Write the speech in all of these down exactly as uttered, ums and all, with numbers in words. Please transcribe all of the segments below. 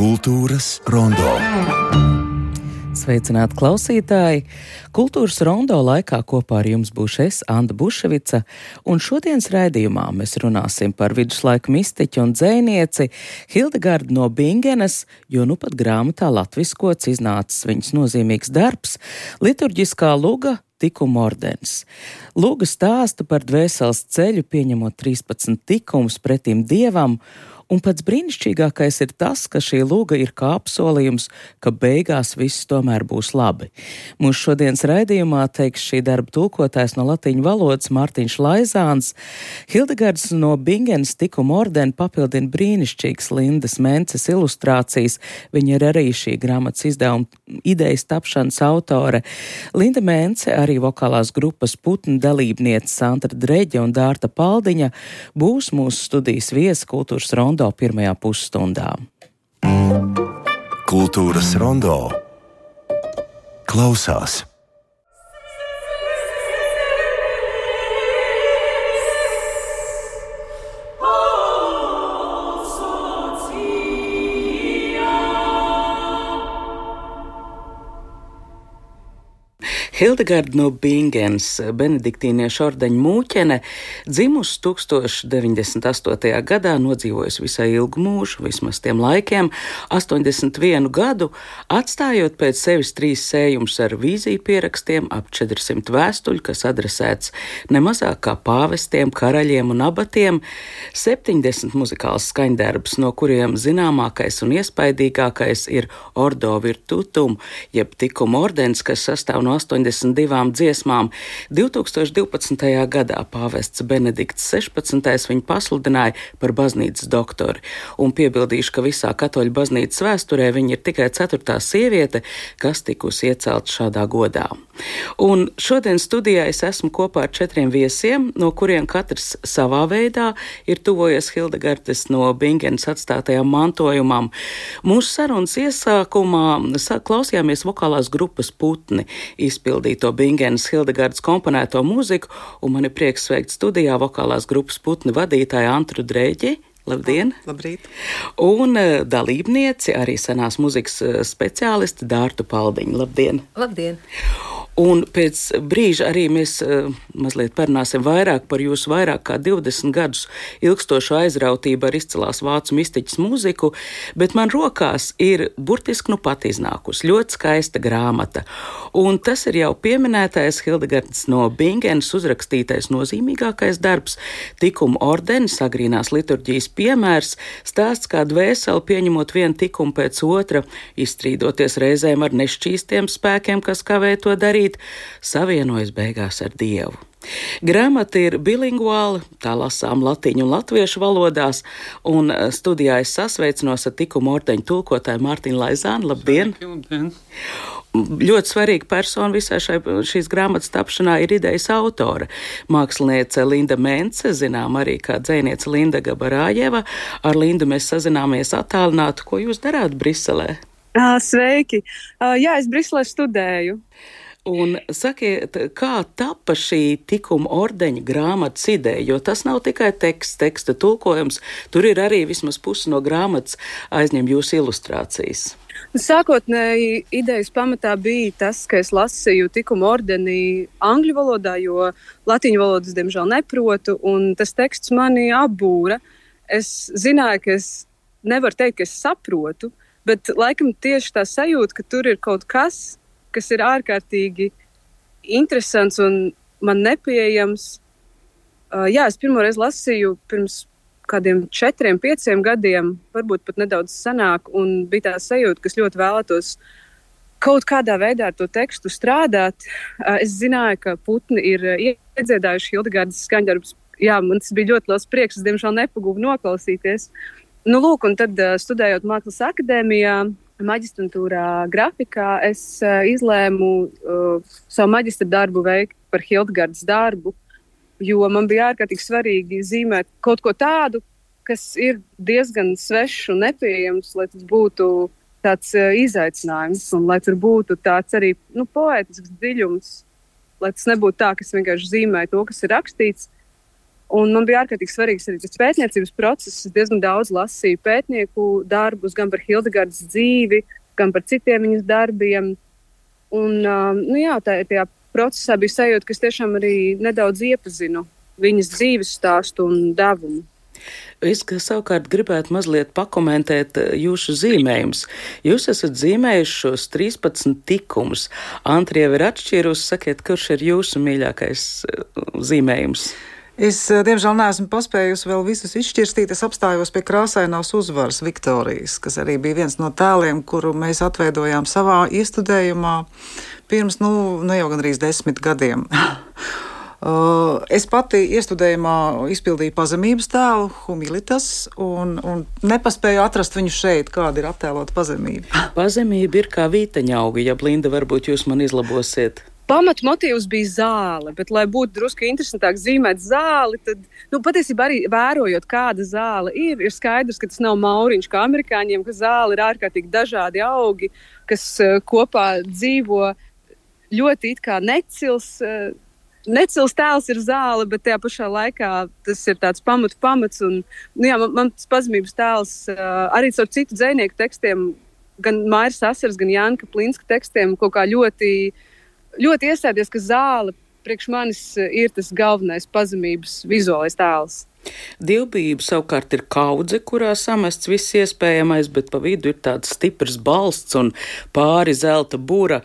Kultūras rondo. Sveicināti klausītāji! Kultūras rondo laikā kopā ar jums būšu es, Anda Buševica, un šodienas raidījumā mēs runāsim par viduslaiku mistiķu un dzejnieci Hildegardu no Bingenes, jo nu pat grāmatā latviskots iznācis viņas nozīmīgs darbs – liturģiskā luga Tikuma ordenis. Luga stāsta par dvēseles ceļu, pieņemot trīspadsmit tikumus pretim Dievam, un pats brīnišķīgākais ir tas, ka šī luga ir kā apsolījums, ka beigās viss tomēr būs labi. Mūsu šodienas raidījumā teiks šī darba tulkotājs no latīņu valodas Mārtiņš Laizāns. Hildegards no Bingenes Tikuma ordeni papildina brīnišķīgas Lindas Mences ilustrācijas. Viņa ir arī šī grāmatas izdevuma idejas tapšanas autore. Linda Mence, arī vokālās grupas Putni dalībniece Sandra Dreģe un Dārta Paldiņa būs mūsu studijas viesi Kultūras rondo pirmajā pusstundā. Kultūras rondo klausās. Hildegarda no Bingenes, benediktīniešu ordeņa mūķene, dzimusi tūkstoš deviņdesmit astotajā gadā, nodzīvojusi visai ilgu mūžu, vismaz tiem laikiem, astoņdesmit vienu gadu, atstājot pēc sevis trīs sējumus ar vīziju pierakstiem, ap četrsimt vēstuļu, kas adresēts nemazāk kā pāvestiem, karaļiem un abatiem, septiņdesmit muzikāls skaņdarbs, no kuriem zināmākais un iespaidīgākais ir Ordo Virtutum, jeb Tikuma ordenis, kas sastāv no astoņdesmit divām dziesmām. divtūkstoš divpadsmitajā gadā pāvests Benedikts sešpadsmitais viņu pasludināja par baznīcas doktori, un piebildīšu, ka visā katoļu baznīcas vēsturē viņa ir tikai ceturtā sieviete, kas tikusi iecelta šādā godā. Un šodien studijā es esmu kopā ar četriem viesiem, no kuriem katrs savā veidā ir tuvojies Hildegardes no Bingenes atstātajam mantojumam. Mūsu sarunas iesākumā klausījāmies vokālās grupas Putni izpildīto Bingenes Hildegardas komponēto mūziku, un man ir prieks sveikt studijā vokālās grupas Putni vadītāju Antru Dreģi. Labdien! Labrīt! Un dalībnieci, arī senās muzikas speciālisti Dārtu Paldiņu. Labdien! Labdien! Un pēc brīža arī mēs uh, mazliet parunāsim vairāk par jūsu vairāk kā divdesmit gadus ilgstošu aizrautību ar izcilās vācu mistiķas mūziku, bet man rokās ir burtiski nu pat iznākusi ļoti skaista grāmata. Un tas ir jau pieminētais Hildegardas no Bingenes uzrakstītais nozīmīgākais darbs, Tikuma ordenis, agrīnās liturģijas piemērs, stāsts kā dvēseli pieņemot vienu tikumu pēc otra, izstrīdoties reizēm ar nešķīstiem spēkiem, kas kavē to darīt, savienojas beigās ar Dievu. Grāmata ir bilinguāla, tā lasām latīņu un latviešu valodās, un studijā es sasveicinos ar Tikuma ordeņa tulkotāju Mārtiņu Laizānu. Labdien! Labdien! Ļoti svarīga persona visā šai, šīs grāmatas tapšanā ir idejas autore. Māksliniece Linda Mence, zinām arī kā dzejniece Linda Gabarājeva. Ar Lindu mēs sazināmies attālināti. Ko jūs darāt Briselē? Sveiki! Jā, es Briselē studēju. Un sakiet, kā tapa šī Tikuma ordeņa grāmatas ideja, jo tas nav tikai teksts, teksta tulkojums, tur ir arī vismaz pusi no grāmatas aizņem jūsu ilustrācijas. Sākotnēji idejas pamatā bija tas, ka es lasīju Tikuma ordeni angļu valodā, jo latīņu valodas diemžēl neprotu, un tas teksts mani apbūra. Es zināju, ka es nevaru teikt, ka es saprotu, bet laikam tieši tā sajūta, ka tur ir kaut kas, kas ir ārkārtīgi interesants un man nepieejams. Uh, jā, es pirmoreiz lasīju pirms kādiem četriem, pieciem gadiem, varbūt pat nedaudz senāk, un bija tā sajūta, ka es ļoti vēlētos kaut kādā veidā ar to tekstu strādāt. Uh, es zināju, ka Putni ir iedziedājuši Hildegardas skaņdarbus. Jā, man tas bija ļoti liels prieks, es diemžēl nepagūvu noklausīties. Nu, lūk, un tad uh, studējot Mākslas akadēmijā, maģistrantūrā grafikā, es uh, izlēmu uh, savu maģistra darbu veikt par Hildegardas darbu, jo man bija ārkārtīgi svarīgi zīmēt kaut ko tādu, kas ir diezgan svešs un nepieejams, lai tas būtu tāds uh, izaicinājums un lai tur būtu tāds arī nu, poētisks dziļums, lai tas nebūtu tā, ka es vienkārši zīmēju to, kas ir rakstīts. Un man bija ārkārtīgi svarīgs arī tas pētniecības process. Es diezgan daudz lasīju pētnieku darbus, gan par Hildegardas dzīvi, gan par citiem viņas darbiem. Un, nu jā, tā, tajā procesā bija sajūta, ka es tiešām arī nedaudz iepazinu viņas dzīves stāstu un devumu. Es savukārt gribētu mazliet pakomentēt jūsu zīmējumus. Jūs esat zīmējuši šos trīspadsmit tikumus. Antra jau ir atšķīrusi. Sakiet, kurš ir jūsu mīļākais zīmējums? Es, diemžēl, neesmu paspējusi vēl visus izšķirstīt. Es apstājos pie krāsainās uzvaras Viktorijas, kas arī bija viens no tēliem, kuru mēs atveidojām savā iestudējumā pirms, nu, nu jau gandrīz desmit gadiem. Uh, es pati iestudējumā izpildīju pazemības tēlu, humilitas, un, un nepaspēju atrast viņu šeit, kāda ir attēlota pazemība. Pazemība ir kā vītaņauga, ja Blinda, varbūt jūs man izlabosiet. Pamat motīvs bija zāle, bet, lai būtu drusku interesantāk zīmēt zāli, tad, nu, patiesībā arī vērojot, kāda zāle ir, ir skaidrs, ka tas nav mauriņš kā amerikāņiem, ka zāle ir ārkārtīgi dažādi augi, kas uh, kopā dzīvo ļoti it kā necils. Uh, Necils tēls ir zāle, bet tajā pašā laikā tas ir tāds pamatu pamats. Un, nu jā, man, man tas pazemības tēls uh, arī caur citu dzejnieku tekstiem, gan Mairas Asaras, gan Jānka Plinska tekstiem, kaut kā ļoti, ļoti iestādies, ka zāle priekš manis ir tas galvenais pazemības vizuālais tēls. Divbijība savukārt ir kaudze, kurā samests viss iespējamais, bet pa vidu ir tāds stiprs balsts un pāri zelta bura.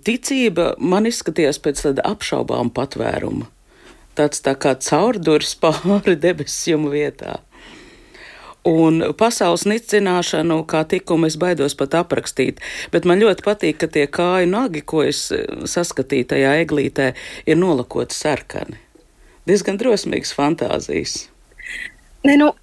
Ticība man izskatījās pēc tāda apšaubām patvēruma. Tāds tā kā caurduris pāri debesjumu vietā. Un pasaules nicināšanu, kā tikumu, es baidos pat aprakstīt, bet man ļoti patīk, ka tie kāju nagi, ko es saskatīju tajā eglītē, ir nolakoti sarkani. Diezgan drosmīgas fantāzijas. Ne, nu,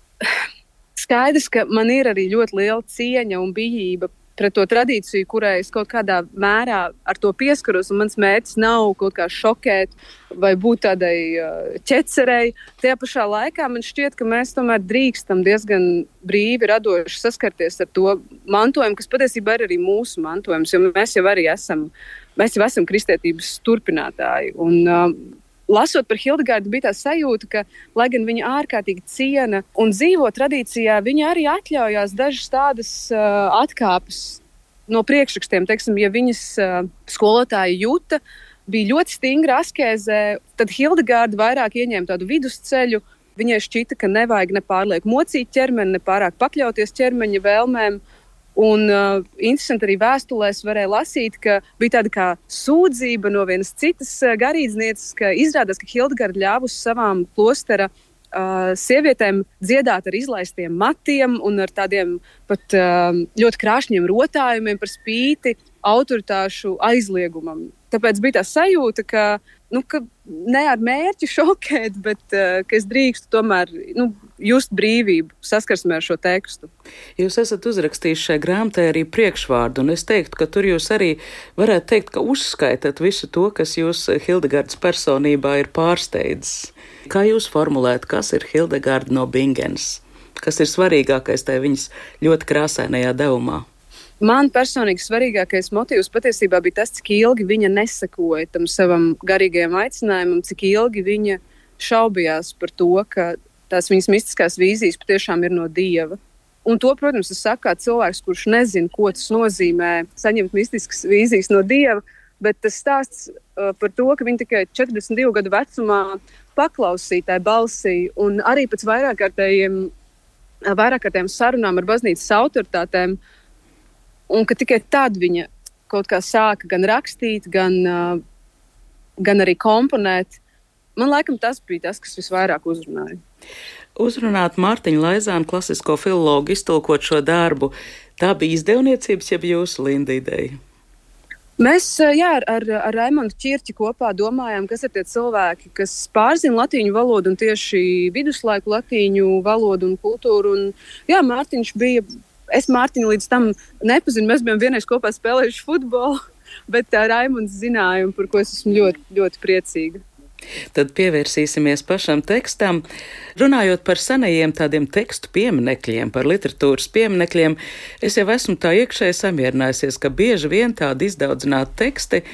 skaidrs, ka man ir arī ļoti liela cieņa un bijība pret to tradīciju, kurai es kaut kādā mērā ar to pieskaros, un mans mērķis nav kaut kā šokēt vai būt tādai uh, ķecerei. Tajā pašā laikā man šķiet, ka mēs tomēr drīkstam diezgan brīvi, radoši saskarties ar to mantojumu, kas patiesībā ir arī mūsu mantojums, jo mēs jau arī esam, mēs jau esam kristietības turpinātāji. Un, uh, Lasot par Hildegardu, bija tā sajūta, ka, lai gan viņa ārkārtīgi ciena un dzīvo tradīcijā, viņa arī atļaujās dažas tādas uh, atkāpes no priekšrakstiem. Teiksim, ja viņas uh, skolotāja Juta bija ļoti stingra askēzē, tad Hildegarda vairāk ieņēma tādu vidusceļu. Viņai šķita, ka nevajag ne pārlieku mocīt ķermeni, ne pārāk pakļauties ķermeņa vēlmēm. Un uh, interesanti arī vēstulēs varēja lasīt, ka bija tāda kā sūdzība no vienas citas uh, garīdznieces, ka izrādās, ka Hildegarda ļāvusi savām klostera uh, sievietēm dziedāt ar izlaistiem matiem un ar tādiem pat uh, ļoti krāšņiem rotājumiem par spīti autoritāšu aizliegumam. Tāpēc bija tā sajūta, ka, nu, ka ne ar mērķi šokēt, bet uh, ka es drīkstu tomēr nu, just brīvību saskarsmē ar šo tekstu. Jūs esat uzrakstījuši šai grāmatai arī priekšvārdu, un es teiktu, ka tur jūs arī varētu teikt, ka uzskaitat visu to, kas jūs Hildegardas personībā ir pārsteidzis. Kā jūs formulētu, kas ir Hildegarda no Bingens? Kas ir svarīgākais tajā viņas ļoti krāsainajā devumā? Man personīgi svarīgākais motīvs patiesībā bija tas, cik ilgi viņa nesekoja tam savam garīgajam aicinājumam, cik ilgi viņa šaubījās par to, ka tās viņas mistiskās vīzijas patiešām ir no Dieva. Un to, protams, es saku kā cilvēks, kurš nezina, ko tas nozīmē saņemt mistiskas vīzijas no Dieva, bet tas stāsts uh, par to, ka viņa tikai četrdesmit divu gadu vecumā paklausīja tai balsī un arī pēc vairākārtējiem, vairākārtējiem sarunām ar baznīcas autoritātēm, un ka tikai tad viņa kaut kā sāka gan rakstīt, gan, uh, gan arī komponēt. Man laikam tas bija tas, kas visvairāk uzrunāja. Uzrunāt Mārtiņu Laizānu, klasisko filologu, iztulkot šo darbu, tā bija izdevniecības, jeb jūsu Linda ideja? Mēs jā, ar, ar, ar Raimondu Čirķi kopā domājām, kas ir tie cilvēki, kas pārzina latīņu valodu un tieši viduslaiku latīņu valodu un kultūru. Un, jā, Mārtiņš bija... Es Mārtiņu līdz tam nepazinu, mēs bijām vienreiz kopā spēlējuši futbolu, bet uh, Raimonds zināja, par ko es esmu ļoti, ļoti priecīga. Tad pievērsīsimies pašam tekstam. Runājot par senajiem tādiem tekstu pieminekļiem, par literatūras pieminekļiem, es jau esmu tā iekšēji samierinājusies, ka bieži vien tādi izdaudzināti teksti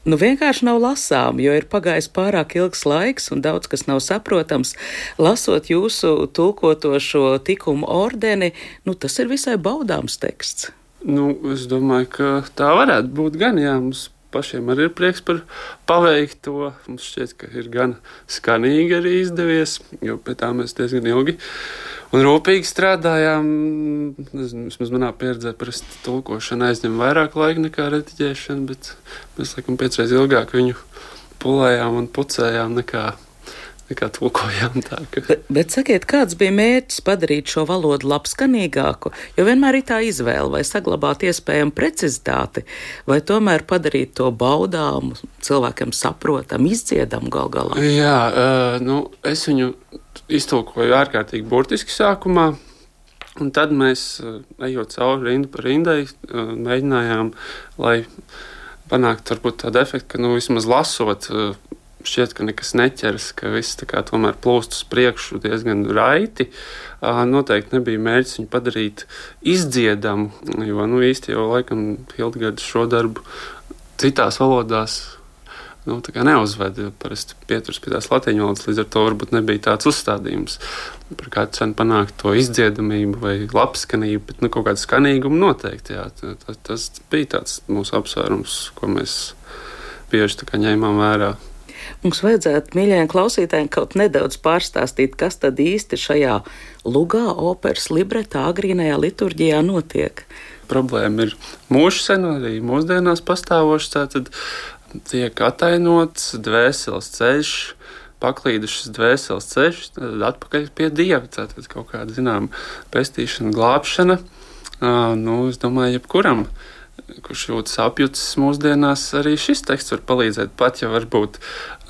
nu vienkārši nav lasām, jo ir pagājis pārāk ilgs laiks un daudz kas nav saprotams. Lasot jūsu tulkoto šo tikumu ordeni, nu tas ir visai baudāms teksts. Nu, es domāju, ka tā varētu būt gan, jā, mums pašiem arī ir prieks par paveikto. Mums šķiet, ka ir gan skanīgi arī izdevies, jo pie tā mēs diezgan ilgi un rūpīgi strādājām. Nezinu, vismaz manā pieredzē parasti tulkošana aizņem vairāk laika nekā rediģēšana, bet mēs laikam piecreiz ilgāk viņu pulējām un pucējām nekā nekā tulkojām tā. Ka... Bet, bet sakiet, kāds bija mērķis padarīt šo valodu labskanīgāku? Jo vienmēr ir tā izvēle, vai saglabāt iespējamu precizitāti, vai tomēr padarīt to baudāmu, cilvēkiem saprotam, izdziedam gal galā. Jā, uh, nu, es viņu iztulkoju ārkārtīgi burtiski sākumā, un tad mēs, uh, ejot cauri rindu par rindai, uh, mēģinājām, lai panāktu varbūt tādu efektu, ka, nu, vismaz lasot, uh, šķiet, ka nekas neķeras, ka viss tā kā tomēr plūst uz priekšu diezgan raiti. Noteikti nebija mērķis viņu padarīt izdziedamu, jo nu, īsti jau laikam Hildegarda šo darbu citās valodās nu, tā kā neuzveda. Parasti pieturas pie tās latīņu valodas, līdz ar to varbūt nebija tāds uzstādījums par kādu cenu panākt to izdziedamību vai labskanību, bet nu, kaut kādu skanīgumu noteikti. Jā. Tas, tas bija tāds mūsu apsvērums, ko mēs bieži tā kā ņēmām vērā. Mums vajadzētu, mīļajiem klausītājiem, kaut nedaudz pārstāstīt, kas tad īsti šajā lugā, operas libretā, agrīnajā liturģijā notiek. Problēma ir mūžsena, arī mūsdienās pastāvoša, tātad tiek atainots dvēseles ceļš, paklīdušas dvēseles ceļš, tad atpakaļ pie Dieva, tātad kaut kāda, zinām, pestīšana, glābšana. Nu, es domāju, jebkuram, kurš jūtas apjucis mūsdienās, arī šis teksts var palīdzēt, pat ja varbūt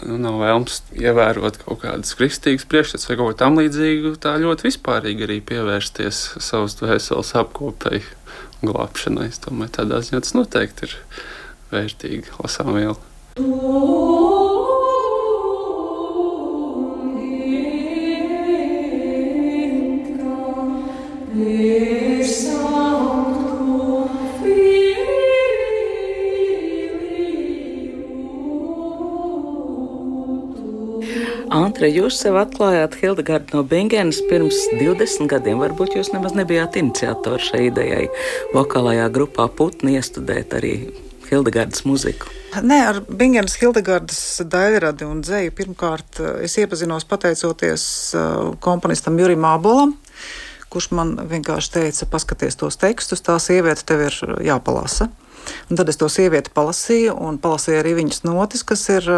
nu, nav vēlms ievērot kaut kādas kristīgas priekšstats vai kaut ko tam līdzīgu, tā ļoti vispārīgi arī pievērsties savas dvēseles apkopei un glābšanai. Es domāju, tādā ziņā tas noteikti ir vērtīgi lasām viela. Antre, jūs sev atklājāt Hildegardu no Bingenas pirms divdesmit gadiem. Varbūt jūs nemaz nebijāt iniciatori šai idejai vokālajā grupā Putni iestudēt arī Hildegardas muziku. Nē, ar Bingenas Hildegardas daļradi un dzeju pirmkārt es iepazinos pateicoties komponistam Jurim Ābolam, kurš man vienkārši teica, paskaties tos tekstus, tā sieviete tev ir jāpalasa. Un tad es to sievieti palasīju, un palasīju arī viņas notis, kas ir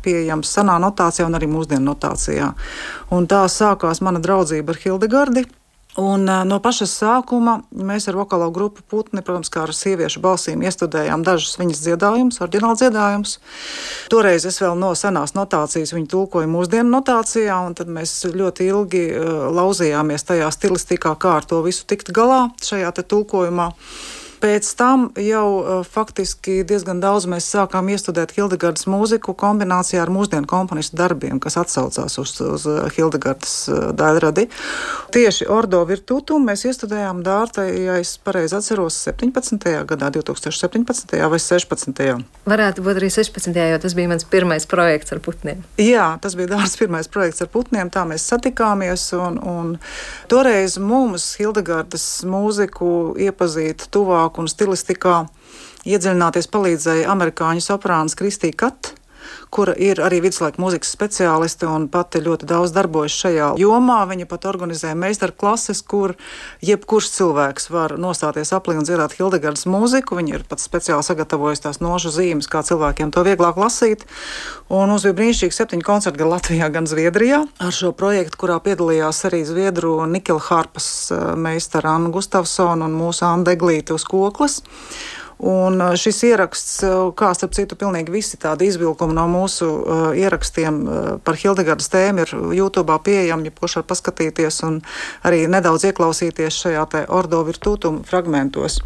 pieejams senā notācijā un arī mūsdienu notācijā. Un tā sākās mana draudzība ar Hildegardi. Un no paša sākuma mēs ar vokālo grupu Putni, protams, kā ar sieviešu balsīm iestudējām dažus viņas dziedājumus, oriģināli dziedājumus. Toreiz es vēl no senās notācijas viņu tulkoju mūsdienu notācijā, un tad mēs ļoti ilgi lauzījāmies tajā stilistikā, kā ar to visu tikt galā šajā te tulkojumā. Pēc tam jau uh, faktiski diezgan daudz mēs sākām iestudēt Hildegardas mūziku kombinācijā ar mūsdienu komponistu darbiem, kas atsaucās uz, uz Hildegardas uh, daļradi. Tieši Ordo Virtutum mēs iestudējām Dārtai, ja es pareizi atceros, septiņpadsmitajā gadā, divtūkstoš septiņpadsmitajā vai sešpadsmitajā. Varētu būt arī sešpadsmitajā, jo tas bija mans pirmais projekts ar putniem. Jā, tas bija Dārtas pirmais projekts ar putniem, tā mēs satikāmies, un, un toreiz mums Hildegardas mūziku iepazīt tuvāk un stilistikā iedziļināties palīdzēja amerikāņu soprāns Kristija Kat, kura ir arī viduslaika mūzikas speciāliste un pati ļoti daudz darbojas šajā jomā. Viņa pat organizē meistarklases, kur jebkurš cilvēks var nostāties aplī un dziedāt Hildegardas mūziku. Viņa ir pat speciāli sagatavojusi tās nošu zīmes, kā cilvēkiem to vieglāk lasīt. Un mums bija brīnišķīgi septiņi koncerti gan Latvijā, gan Zviedrijā ar šo projektu, kurā piedalījās arī Zviedru Nikela harpas meistara Anna Gustavsona un mūsu Anna Deglīte uz koklas. Un šis ieraksts, kā starp citu pilnīgi visi tādi izvilkumi no mūsu uh, ierakstiem uh, par Hildegardas tēmu ir YouTube pieejami, ja kurš var paskatīties un arī nedaudz ieklausīties šajā te Ordo Virtutum fragmentos.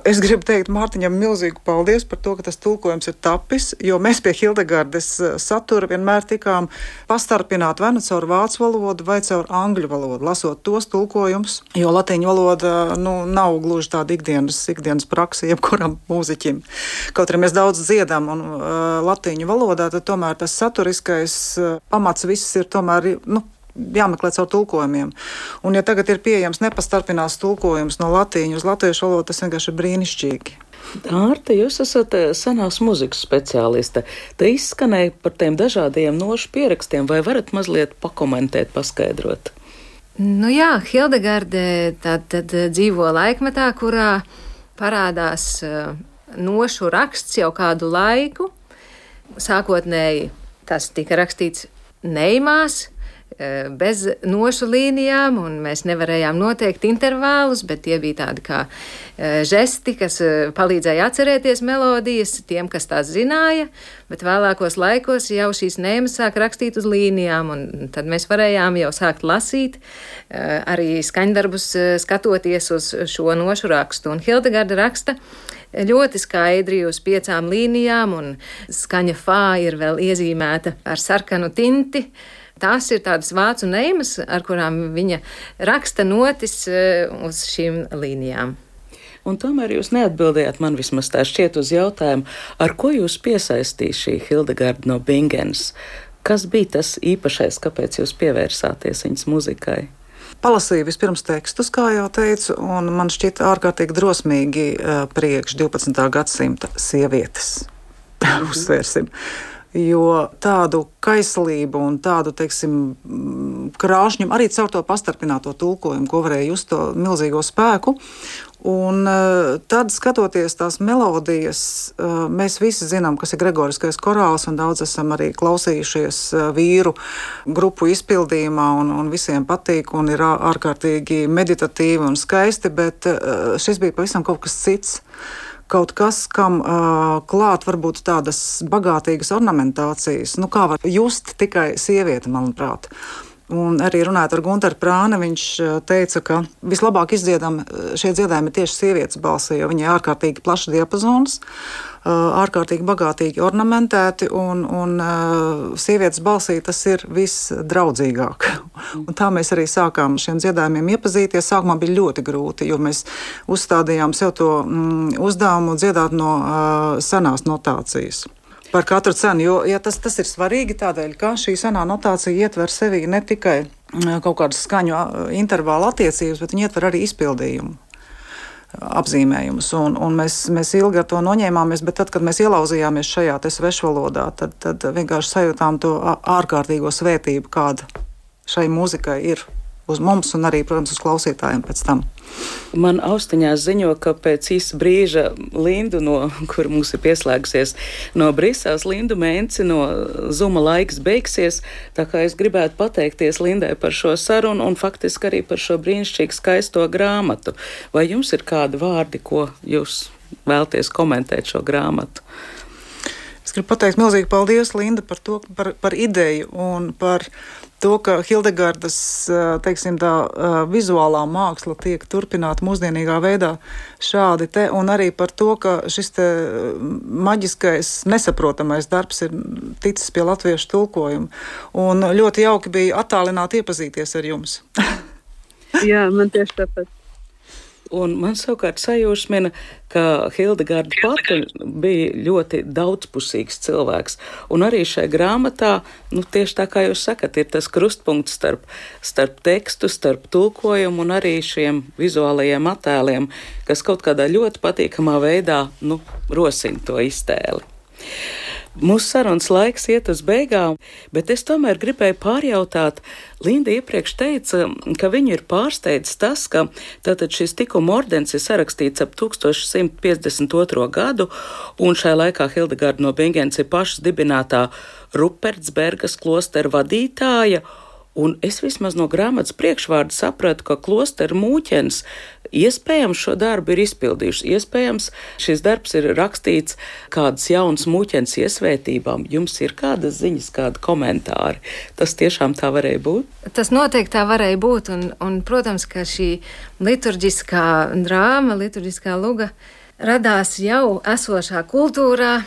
Es gribu teikt Mārtiņam milzīgu paldies par to, ka tas tulkojums ir tapis, jo mēs pie Hildegardes satura vienmēr tikām pastarpināt vai nu caur vācu valodu vai caur angļu valodu, lasot tos tulkojumus, jo latīņu valoda nu, nav gluži tāda ikdienas, ikdienas praksa jebkuram mūziķim. Kaut arī mēs daudz dziedam un uh, latīņu valodā, tad tomēr tas saturiskais uh, pamats viss ir tomēr, nu, jāmeklē caur tulkojumiem. Un ja tagad ir pieejams nepastarpinās tulkojums no latīņu uz latviešu valodu, tas vienkārši ir brīnišķīgi. Ārta, jūs esat senās muzikas speciāliste. Te izskanēja par tiem dažādiem nošu pierakstiem, vai varat mazliet pakomentēt, paskaidrot? Nu jā, Hildegarde tad, tad dzīvo laikmetā, kurā parādās uh, nošu raksts jau kādu laiku. Sākotnēji tas tika rakstīts neimās, bez nošu līnijām, un mēs nevarējām noteikt intervālus, bet tie bija tādi kā žesti, kas palīdzēja atcerēties melodijas tiem, kas tās zināja, bet vēlākos laikos jau šīs neimas sāk rakstīt uz līnijām, un tad mēs varējām jau sākt lasīt, arī skaņdarbus skatoties uz šo nošu rakstu. Un Hildegarde raksta ļoti skaidri uz piecām līnijām, un skaņa fā ir vēl iezīmēta ar sarkanu tinti. Tās ir tādas vācu neimas, ar kurām viņa raksta notis uz šīm līnijām. Un tomēr jūs neatbildējāt man vismaz tā šķiet uz jautājumu, ar ko jūs piesaistīja šī Hildegarde no Bingens? Kas bija tas īpašais, kāpēc jūs pievērsāties viņas muzikai? Palasīju vispirms tekstus, kā jau teicu, un man šķita ārkārtīgi drosmīgi priekš divpadsmitā gadsimta sievietes. Uzsvērsim. Jo tādu kaislību un tādu, teiksim, krāšņumu, arī caur to pastarpināto tulkojumu, ko varēja just to milzīgo spēku. Un tad, skatoties tās melodijas, mēs visi zinām, kas ir gregoriskais korāls, un daudz esam arī klausījušies vīru grupu izpildījumā, un, un visiem patīk, un ir ārkārtīgi meditatīvi un skaisti, bet šis bija pavisam kaut kas cits. Kaut kas, kam uh, klāt varbūt tādas bagātīgas ornamentācijas, nu kā var just tikai sieviete, manuprāt. Un arī runājot ar Gunteru Prāni, viņš teica, ka vislabāk izdziedam šie dziedājumi tieši sievietes balsī, jo viņi ir ārkārtīgi plašs diapazons, ārkārtīgi bagātīgi ornamentēti, un, un sievietes balsī tas ir visdraudzīgāk. Un tā mēs arī sākām šiem dziedājumiem iepazīties. Sākumā bija ļoti grūti, jo mēs uzstādījām sev to mm, uzdevumu dziedāt no uh, senās notācijas. Par katru cenu, jo ja tas, tas ir svarīgi tādēļ, ka šī senā notācija ietver sevī ne tikai kaut kādas skaņu intervāla attiecības, bet viņi ietver arī izpildījumu apzīmējumus. Un, un mēs, mēs ilgi ar to noņēmāmies, bet tad, kad mēs ielauzījāmies šajā te svešvalodā, tad, tad vienkārši sajūtām to ārkārtīgo svētību, kāda šai mūzikai ir uz mums un arī, protams, uz klausītājiem pēc tam. Man austiņās ziņo, ka pēc īsa brīža Lindu, no, kur mums ir pieslēgusies no Briseles, Lindu Menci no Zuma laiks beigsies, tā kā es gribētu pateikties Lindai par šo sarunu un faktiski arī par šo brīnišķīgi skaisto grāmatu. Vai jums ir kādi vārdi, ko jūs vēlties komentēt šo grāmatu? Es gribu pateikt milzīgi paldies, Linda, par to, par, par ideju un par to, ka Hildegardes, teiksim, tā vizuālā māksla tiek turpināta mūsdienīgā veidā šādi te, un arī par to, ka šis te maģiskais, nesaprotamais darbs ir ticis pie latviešu tulkojuma. Un ļoti jauki bija attālināti iepazīties ar jums. Jā, man tieši tāpat. Un man savukārt sajūsmina, ka Hildegarde pati bija ļoti daudzpusīgs cilvēks. Un arī šai grāmatā, nu tieši tā kā jūs sakat, ir tas krustpunkts starp, starp tekstu, starp tulkojumu un arī šiem vizuālajiem attēliem, kas kaut kādā ļoti patīkamā veidā, nu, rosina to iztēli. Mūsu sarunas laiks iet uz beigām, bet es tomēr gribēju pārjautāt. Linda iepriekš teica, ka viņu ir pārsteidzis tas, ka tātad šis tikuma ordens ir sarakstīts ap tūkstoš simt piecdesmit otro gadu, un šai laikā Hildegarde no Bingens ir pašas dibinātā Rupertsbergas klostera vadītāja, un es vismaz no grāmatas priekšvārda sapratu, ka klostera mūķens iespējams šo darbu ir izpildījuši. Iespējams, šis darbs ir rakstīts kādas jaunas mūķens iesvētībām. Jums ir kādas ziņas, kādi komentāri? Tas tiešām tā varēja būt? Tas noteikti tā varēja būt, un, un protams, ka šī liturģiskā drāma, liturģiskā luga radās jau esošā kultūrā,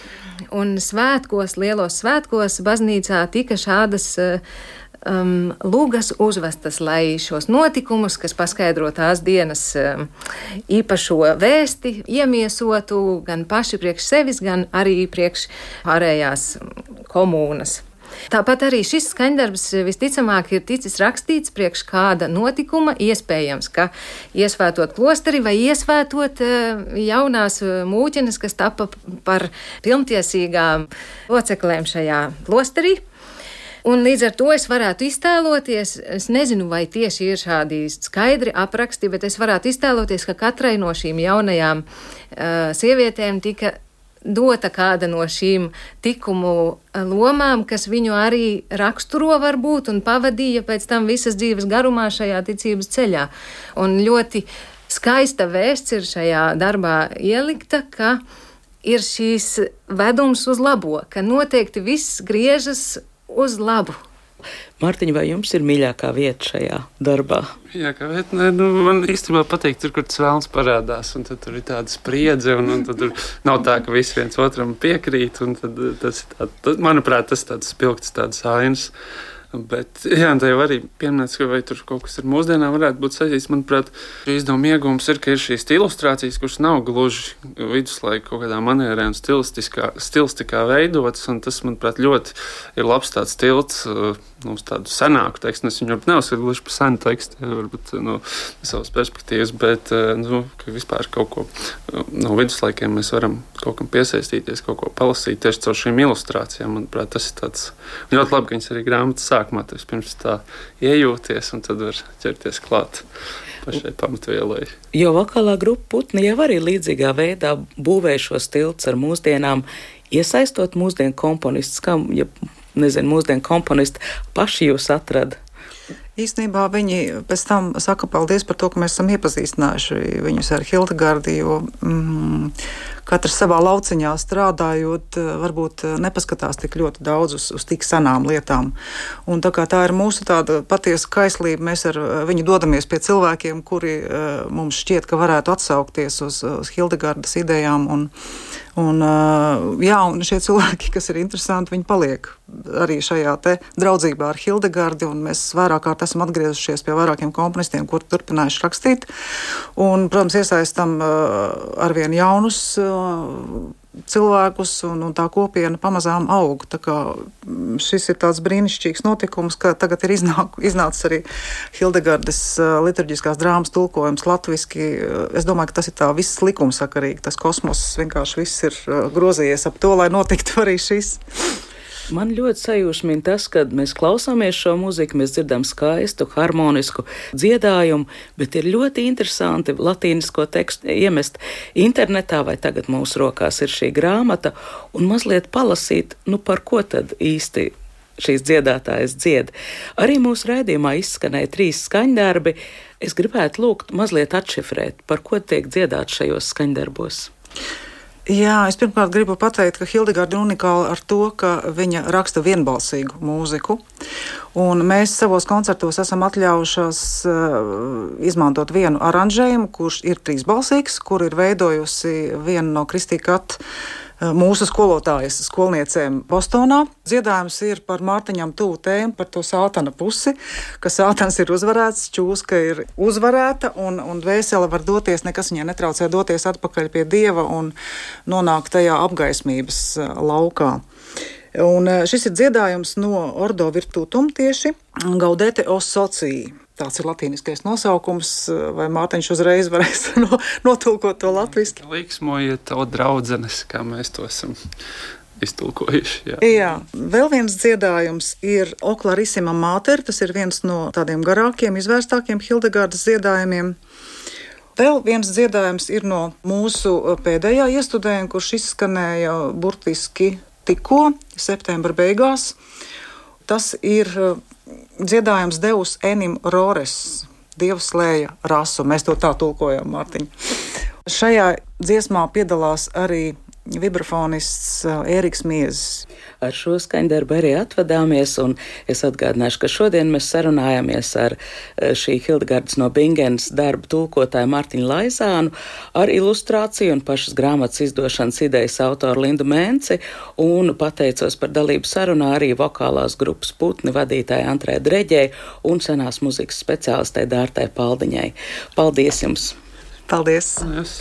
un svētkos, lielos svētkos baznīcā tika šādas um, lūgas uzvestas, lai šos notikumus, kas paskaidro tās dienas um, īpašo vēsti, iemiesotu gan paši priekš sevis, gan arī priekš pārējās komūnas. Tāpat arī šis skaņdarbs visticamāk ir ticis rakstīts priekš kāda notikuma, iespējams, ka iesvētot klosteri vai iesvētot jaunās mūķenes, kas tapa par pilntiesīgām loceklēm šajā klosterī. Un līdz ar to es varētu iztēloties, es nezinu, vai tieši ir šādi skaidri apraksti, bet es varētu iztēloties, ka katrai no šīm jaunajām uh, sievietēm tika dota kāda no šīm tikumu lomām, kas viņu arī raksturo varbūt un pavadīja pēc tam visas dzīves garumā šajā ticības ceļā. Un ļoti skaista vēsts ir šajā darbā ielikta, ka ir šīs vedums uz labo, ka noteikti viss griežas uz labu. Mārtiņ, vai jums ir mīļākā vieta šajā darbā? Mīļākā vieta, ne, nu, man īstenībā patīk tur, kur tas vēlns parādās, un tad tur ir tāda spriedze, un, un tad tur nav tā, ka visi viens otram piekrīt, un tad tas ir tāds, tad, manuprāt, tas tāds spilgts, tāds ainas. Bet, jā, tā jau arī pieminēts, ka vai tur kaut kas ar mūsdienām varētu būt saistīts. Manuprāt, izdevuma iegūms ir, ka ir šīs ilustrācijas, kuras nav gluži viduslaika kaut kādā manierē un stilistikā veidotas, un tas, manuprāt, ļoti ir labs tāds tilts nu, uz tādu senāku tekstu. Es viņu neuzskatu gluži par senu tekstu, varbūt no savas perspektīvas, bet nu, ka vispār kaut ko no viduslaikiem mēs varam kaut kam piesaistīties, kaut ko palasīt tieši caur šīm ilustrācijām. Manuprāt, tas ir tāds ļoti labi, ka viņas arī grāmatas sākumā tas pirms tā iejūties, un tad var ķerties klāt pašai pamatvielai. Jo vokālā grupa Putni jau arī līdzīgā veidā būvē šos tilts ar mūsdienām, iesaistot mūsdienu komponistus, kā, ja nezinu, mūsdienu komponisti paši jūs atrada. Īstenībā viņi pēc tam saka paldies par to, ka mēs esam iepazīstinājuši viņus ar Hildegardi, jo mm, katrs savā lauciņā strādājot, varbūt nepaskatās tik ļoti daudz uz, uz tik senām lietām. Un tā kā tā ir mūsu tāda patiesa kaislība, mēs ar viņu dodamies pie cilvēkiem, kuri mums šķiet, ka varētu atsaukties uz, uz Hildegardas idejām. Un, un, jā, un šie cilvēki, kas ir interesanti, viņi paliek arī šajā te draudzībā ar Hildegardi, un mēs vairāk kārt esam atgriezušies pie vairākiem komponistiem, kuri turpinājuši rakstīt. Un, protams, iesaistam arvien jaunus cilvēkus, un, un tā kopiena pamazām aug. Tā kā šis ir tāds brīnišķīgs notikums, ka tagad ir iznāk, iznācis arī Hildegardes liturģiskās drāmas tulkojums latviski. Es domāju, ka tas ir tā viss likumsakarīgi. Tas kosmos vienkārši viss ir grozījies ap to, lai notiktu arī šis. Man ļoti sajūsmina tas, kad mēs klausāmies šo mūziku, mēs dzirdam skaistu, harmonisku dziedājumu, bet ir ļoti interesanti latīnisko tekstu iemest internetā, vai tagad mūsu rokās ir šī grāmata, un mazliet palasīt, nu par ko tad īsti šīs dziedātājas dzied. Arī mūsu raidījumā izskanēja trīs skaņdarbi. Es gribētu lūgt mazliet atšifrēt, par ko tiek dziedāt šajos skaņdarbos. Jā, es pirmkārt gribu pateikt, ka Hildegarda ir unikāla ar to, ka viņa raksta vienbalsīgu mūziku. Un mēs savos koncertos esam atļaujušās uh, izmantot vienu aranžējumu, kurš ir trīsbalsīgs, kur ir veidojusi viena no Kristī Kat mūsu skolotājas skolniecēm Bostonā. Dziedājums ir par Mārtiņam tuvu tēmu, par to sātana pusi, ka sātans ir uzvarēts, čūska ir uzvarēta, un, un dvēsele var doties, nekas viņai netraucē doties atpakaļ pie Dieva un nonākt tajā apgaismības laukā. Un šis ir dziedājums no Ordo Virtutum tieši, Gaudete os Socii. Tāds ir latīniskais nosaukums, vai Mārtiņš uzreiz varēs no, notulkot to latviski? Liksmojiet to draudzenes, kā mēs to esam iztulkojuši. Jā. jā, vēl viens dziedājums ir O Clarissima Mater, tas ir viens no tādiem garākiem, izvērstākiem Hildegardas dziedājumiem. Vēl viens dziedājums ir no mūsu pēdējā iestudējuma, kurš izskanēja burtiski tikko, septembra beigās. Tas ir dziedājums Deus enim rores, Dievs slēja rasu. Mēs to tā tulkojam, Mārtiņ. Šajā dziesmā piedalās arī vibrafonists Ēriks Miezis. Ar šo skaņdarbu arī atvadāmies, un es atgādināšu, ka šodien mēs sarunājāmies ar šī Hildegardas no Bingenes darbu tulkotāju Martiņu Laizānu, ar ilustrāciju un pašas grāmatas izdošanas idejas autoru Lindu Mēnci, un pateicos par dalību sarunā arī vokālās grupas Putni vadītāja Antrē Dreģei un senās muzikas speciālistei Dārtai Paldiņai. Paldies jums! Paldies! Yes.